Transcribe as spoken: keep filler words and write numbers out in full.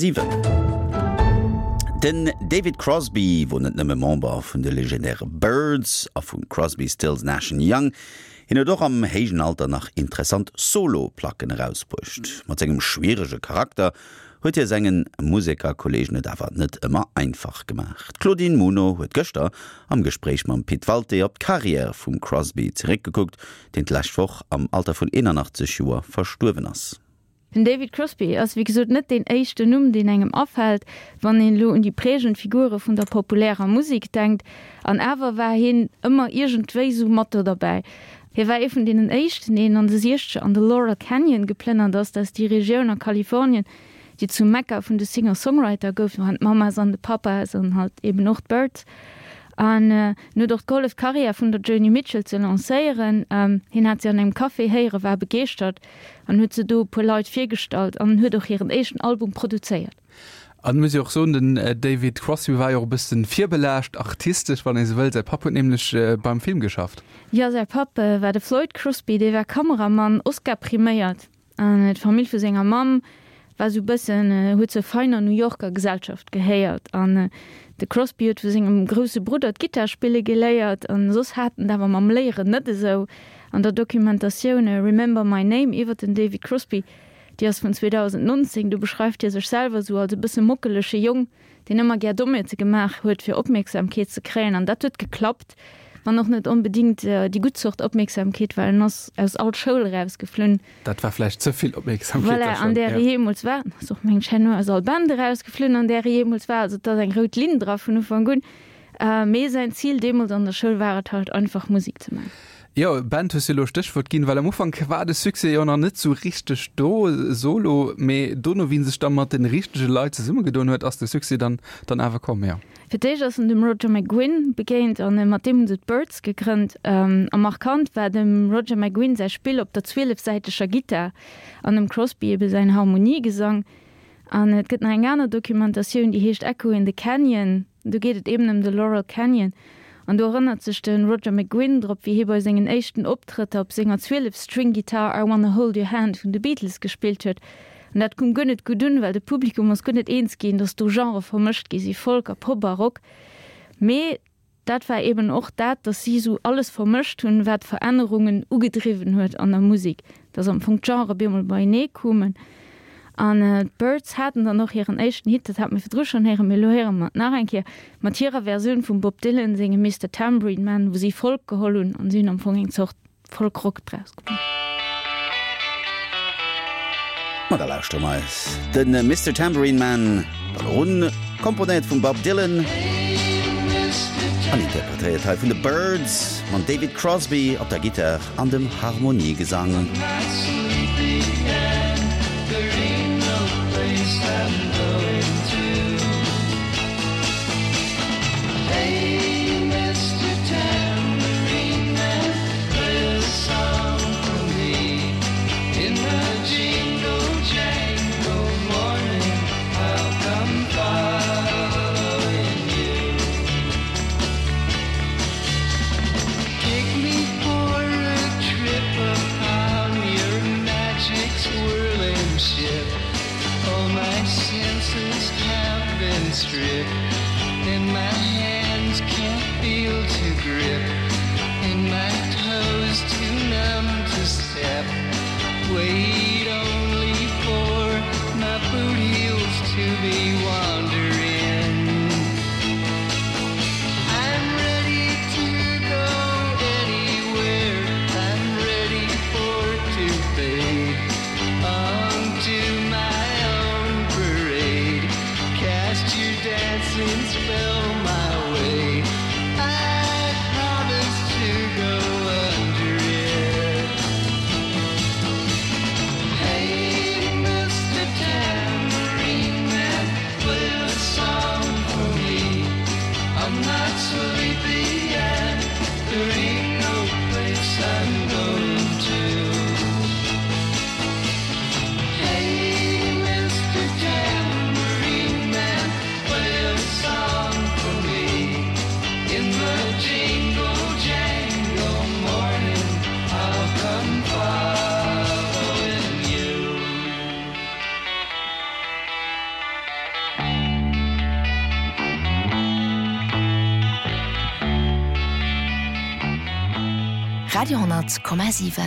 siwen. Den David Crosby wor net nëmme Member vun de legendäre Byrds a vu Crosby, Stills, Nash and Young, hien huet och am héijen Alter nach interessant Solo-Placken erausbruecht. Mat sengem schwierege Charakter huet hie senge Musekerkolleegen et awer net ëmmer einfach gemaach. D'Claudine Muno huet gëschter am Gespréich mam Pit Walté op d'Karriär vum Crosby zeréckgekuckt, deen d'lescht Woch am Alter vun eenanachtzeg Joer verstuerwen ass. Den David Crosby ass wéi gesot net deen éischten Numm, deen engem afält, wann een elo un déi prägend Figure vun der populärer Musek denkt. An awer war hien ëmmer iergendwéi sou mat do derbäi. Hie war ee vun deenen éischten, deen an de Siechzeger an de Laurel Canyon geplënnert ass. Dat ass déi Regioun a Kalifornien, déi zum Mekka vun de Singer-Songwriter gouf, do waren d'Mamas an de Papas an halt eben och d'Byrds. An en huet och gehollef, d'Karriär vun der Joni Mitchell ze lancéieren. Hien hat si an engem Café héieren, war begeeschtert an huet se do e puer Leit virgestallt an huet och hiren éischten Album produzéiert. An et muss ee och soen, den David Crosby war jo och e bëssen virbelaascht artistesch, wann ee sou wëll. Säi Papp huet nämlech beim Film geschafft. Jo, säi Papp war de Floyd Crosby, dee war Kameramann, Oscar-priméiert. An d'Famill vu senger Mamm war sou bëssen, huet zur feiner New Yorker Gesellschaft gehéiert. An de Crosby huet vu sengem grousse Brudder d'Gittar spille geléiert an soss hat en et awer mam Léieren net esou. An der Dokumentatioun Remember My Name iwwer den David Crosby, déi ass vun zweedausendnonzéng, do beschreift hie sech selwer sou als e bësse mockelege Jong, deen ëmmer gär Dommheete gemaach huet, fir Opmierksamkeet ze kréien. An dat huet geklappt, wann och net onbedéngt déi gutt Zort Opmierksamkeet, well en ass aus all Schoul erausgeflunn. Dat war vläicht ze vill Opmierksamkeet da Voilà, schonn, an där e ja. jeemools war. En ass och, mengen ech, herno aus all Band erausgeflunn, an där e jeemools war. Also et ass eng rout Linn dra vun Ufank un. Mee säin Zil deemools an der Schoul war et halt einfach, Musek ze maachen. Jo, Band hues du elo Stéchwuert ginn, well am Ufank war de Succès jo nach net sou richteg do, solo, mee dono wéi en sech da mat de richtege Leit zesummegedoen huet, ass de Succès dann dann awer komm, jo. Fir d'éischt ass en dem Roger McGuinn begéint an mat deem hunn se d'Byrds gegrënnt. A markant war dem Roger McGuinn säi Spill op der zwielefsäiteger Gittar an dem Crosby ebe säin Harmoniegesang. An et gëtt nach eng aner Dokumentatioun, déi heescht Echo in the Canyon. Do geet et eben ëm de Laurel Canyon. An do erënnert sech de Roger McGuinn drop, wéi hie bei sengen éischten Optrëtter op senger zwielef-String-Gittar I Wanna Hold Your Hand vun de Beatles gespillt huet. An dat koum guer net gutt un, well de Publikum ass guer net eens ginn, datt do Genrë vermëscht gi si, Folk a Pop a Rock. Mee dat war eben och dat, datt si esou alles vermëscht hunn, wat Verännerungen ugedriwwen huet an der Musek, datt am Fong d'Genrë bemol beienee koumen. An d'Byrds haten dann och hiren éischten Hit, dat hate mir virdru schonn héieren, mee elo héiere mer et nach eng Kéier, mat hirer Versioun vum Bob Dylan sengem Mister Tambourine Man, wou si Folk geholl hunn an si hunn am Fong eng Zort Folk-Rock draus gemaach. Ma da lauschtere mer eis de Mister Tambourine Man dann och un, komponéiert vum Bob Dylan an interpretéiert hei vun de Byrds mam David Crosby op der Gittar an dem Harmoniegesang. Radio honnert Komma siwen.